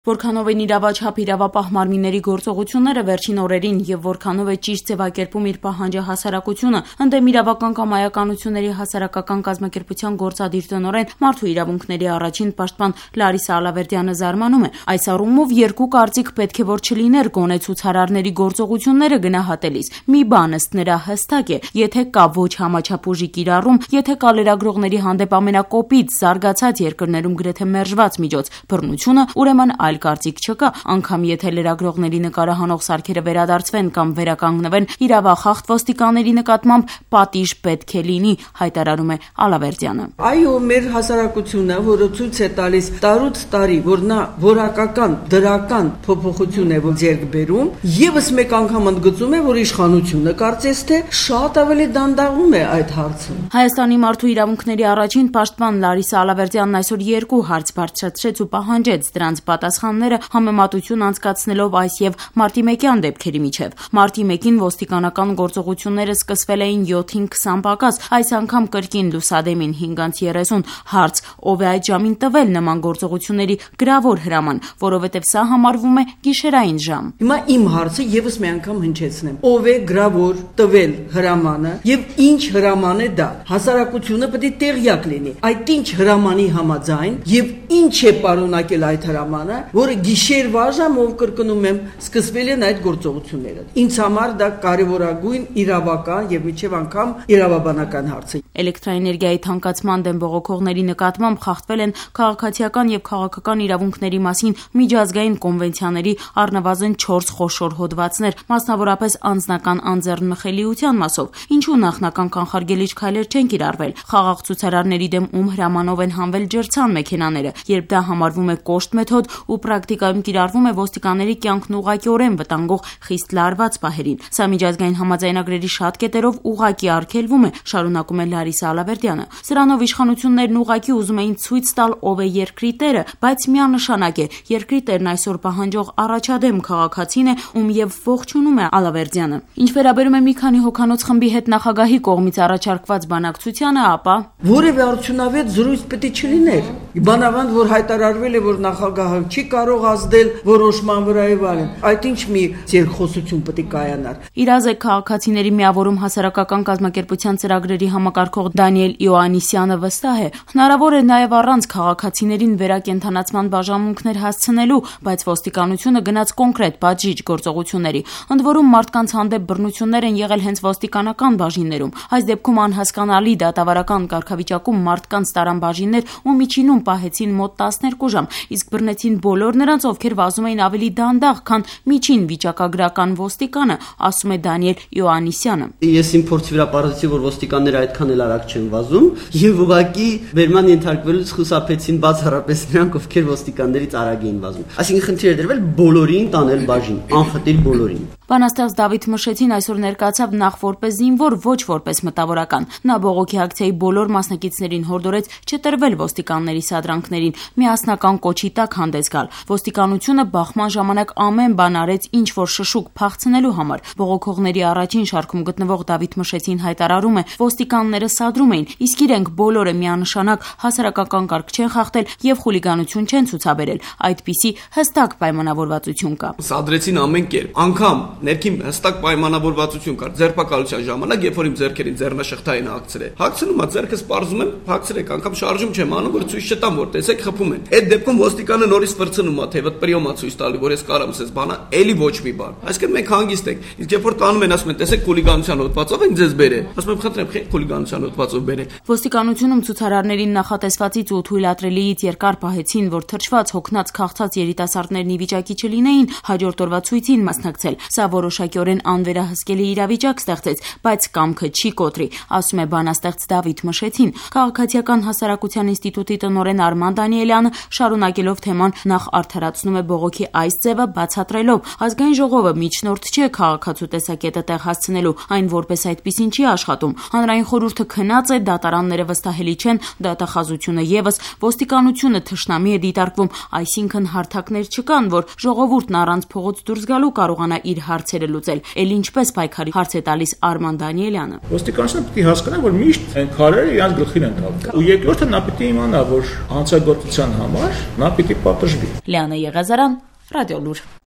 Որքանով են իրավաչափ իրավապահ մարմինների գործողությունները վերջին օրերին եւ որքանով է ճիշտ ձևակերպում իր պահանջը հասարակությունը, ընդդեմ իրավական կամ այականությունների հասարակական կազմակերպության գործադիր տնօրեն Մարդու իրավունքների առաջին պաշտպան Լարիսա Ալավերդյանը զարմանում է։ Այս առումով երկու կարծիք պետք է որ չլիներ գոնե ցուցարարների գործողությունները գնահատելիս։ Մի բան ըստ նրա հստակ է, եթե կա ոչ համաչափ ուժի կիրառում, եթե կա լրագրողների հանդեպ ամենակոպիտ զարգացած երկրներում գրեթե մերժված միջոց բռնությունը, ուրեմն այլ կարծիք չկա, անգամ եթե լրագրողների նկարահանող սարքերը վերադարձվեն կամ վերականգնվեն, իրավախախտ ոստիկանների նկատմամբ պատիժ պետք է լինի, հայտարարում է Ալավերդյանը։ Այո, մեր հասարակությունը, որը ցույց է տալիս տարուց տարի, որ նա որակական դրական փոփոխություն է ձեռք բերում, եւս մեկ անգամ ընդգծում է, որ իշխանությունը կարծես թե շատ ավելի դանդաղում է այդ հարցը։ Հայաստանի մարդու իրավունքների առաջին պաշտպան Լարիսա Ալավերդյանն այսօր երկու հարց բարձրացրեց ու պահանջեց դրանց պատասխանները համեմատություն անցկացնելով այս եւ մարտի 1-յան դեպքերի միջև։ Մարտի 1-ին ոստիկանական գործողությունները սկսվել էին 7-ին 20 պակաս, այս անգամ կրկին լուսադեմին 5:30 հարց, ով է այդ ժամին տվել նման գործողությունների գրավոր հրաման, որովհետեւ սա համարվում է գիշերային ժամ։ Հիմա իմ հարցը եւս մի անգամ հնչեցնեմ. ով է գրավոր տվել հրամանը եւ ինչ հրաման է դա։ Հասարակությունը պետք է տեղյակ լինի այդ ինչ հրամանի համաձայն եւ ինչ է պարունակել այդ հրամանը, որը գիշերվա ժամով կրկնում եմ սկսվել են այդ գործողությունները։ Ինձ համար դա կարևորագույն իրավական եւ միջև անգամ իրավաբանական հարց է։ Էլեկտրաէներգիայի թանկացման դեմ բողոքողների նկատմամբ խախտվել են քաղաքացիական եւ քաղաքական իրավունքների մասին միջազգային կոնվենցիաների առնվազն 4 խոշոր հոդվածներ, մասնավորապես անձնական անձեռնմխելիության մասով։ Ինչու նախնական կանխարգելիչ քայլեր չեն կիրառվել։ Խաղաղ ցուցարարների դեմ ում հրամանով են հանվել ջրցան մեքենաները, երբ դա համարվում է կոշտ մեթոդ ու պրակտիկայում կիրառվում է ոստիկանների կյանքն ուղղակիորեն վտանգող խիստ լարված պահերին։ Սա միջազգային համաձայնագրերի շատ կետերով ուղղակի արգելվում է, շարունակում է Լարիսա Ալավերդյանը։ Սրանով իշխանություններն ուղղակի ուզում էին ցույց տալ ով է երկրի տերը, բայց միանշանակ է, երկրի տերն այսօր պահանջող առաջադեմ քաղաքացին է, ում եւ ողջունում է Ալավերդյանը։ Ինչ վերաբերում է մի քանի հոգանոց խմբի հետ նախագահի կողմից առաջարկված բանակցությանը, ապա որևէ արդյունավետ զրույց պետք է չլիներ։ Բանավանդ որ հայտարարվել է, որ նախագահը չի կարող ազդել որոշման վրա եւ այլն։ Այդ ինչ մի երկխոսություն պետք է կայանար։ Իրազեկ քաղաքացիների միավորում հասարակական կազմակերպության ծրագրերի համակարգող Դանիել Իոաննիսյանը վստահ է, հնարավոր է նաեւ առանց քաղաքացիներին վերակենդանացման բաժանմունքներ հասցնելու, բայց ոստիկանությունը գնաց կոնկրետ բաժիջ գործողությունների։ Ընդ որում մարդկանց հանդեպ բռնություններ են եղել հենց ոստիկանական բաժիններում։ Այս դեպքում անհասկանալի դատավարական կարգավիճակում մարդկանց տարան բաժիններ ու միջինում պահեցին մոտ 12 ժամ, իսկ բռնեցին բոլոր նրանց, ովքեր վազում էին ավելի դանդաղ, քան միջին վիճակագրական ոստիկանը, ասում է Դանիել Իոաննիսյանը։ Ես իմ փորձի վրա պարզեցի, որ ոստիկանները այդքան էլ արագ չեն վազում եւ ուղղակի վերման ենթարկվելուց խուսափեցին բացառապես նրանք, ովքեր ոստիկաններից արագ էին վազում։ Այսինքն խնդիր է դրվել բոլորին տանել բաժին, անխտիր բոլորին։ Բանաստեղծ Դավիթ Մշեցին այսօր ներկայացավ նախ որպես զինվոր, ոչ որպես մտավորական։ Նա բողոքի ակցիայի բոլոր մասնակիցներին հորդորեց չտրվել ոստիկանների սադրանքներին, միասնական կոչի տակ հանդես գալ։ Ոստիկանությունը բախման ժամանակ ամեն բան արեց, ինչ որ շշուկ փախցնելու համար։ Բողոքողների առաջին շարքում գտնվող Դավիթ Մշեցին հայտարարում է, ոստիկանները սադրում էին, իսկ իրենք բոլորը միանշանակ հասարակական կարգ չեն խախտել եւ խուլիգանություն չեն ցուցաբերել։ Այդպիսի հստակ պայմանավորվածություն կա։ Սադրեցին ամեն կերպ, անգամ ներքին հստակ պայմանավորվածություն կար ձերբակալության ժամանակ, երբ որ իմ ձեռքերին ձեռնաշղթային հագցրել։ Հագցնում ա ձեռքս պարզում եմ, հագցրեք, անգամ շարժում չեմ անում, որ ցույց չտամ, որ տեսեք խփում են։ Այդ դեպքում ոստիկանը նորից վրցնում ա, թե պրիոմա ցույց տալի, որ ես կարամ ասես բանա, էլի ոչ մի բան։ Այսինքն մենք հանգիստ ենք։ Իսկ երբ որ տանում են, ասում են, տեսեք խուլիգանության հոդվածով են ձեզ բերել։ Ասում եմ, խնդրեմ, խուլիգանության հոդվածով բերեք։ Ոստիկանությունում ցուցարարներին նախատեսվածից ու թույլատրելիից երկար պահեցին, որ թրջված, հոգնած, քաղցած երիտասարդներն ի վիճակի չլինեին հաջորդ օրվա ցույցին մասնակցել։ Սա որոշակիորեն անվերահսկելի իրավիճակ ստեղծեց, բայց կամքը չի կոտրի, ասում է բանաստեղծ Դավիթ Մշեցին։ Քաղաքացիական հասարակության ինստիտուտի տնօրեն Արման Դանիելյանը շարունակելով թեման նախ արդարացնում է բողոքի այս ձևը, բացատրելով ազգային ժողովը միջնորդ չէ քաղաքացու տեսակետը տեղ հասցնելու, այն որպես այդպիսին չի աշխատում։ Հանրային խորհուրդը քնած է, դատարանները վստահելի չեն, դատախազությունը եւս, ոստիկանությունը թշնամի է դիտարկվում, այսինքն հարթակներ չկան, որ ժողովուրդն առանց փողոց դուրս գալու կարողանա իր հարցերը լուծել։ Էլ ինչպես պայքարի հարց է տալիս Արման Դանիելյանը։ Ոստիկանությունը պետք է հասկանա, որ միշտ այն քարերը իրենց գլխին են տալու։ Ու երկրորդը նա պետք է իմանա, որ հանցագործության համար նա պետք է պատժվի։ Լիանա Եղազարյան, Ռադիոլուր։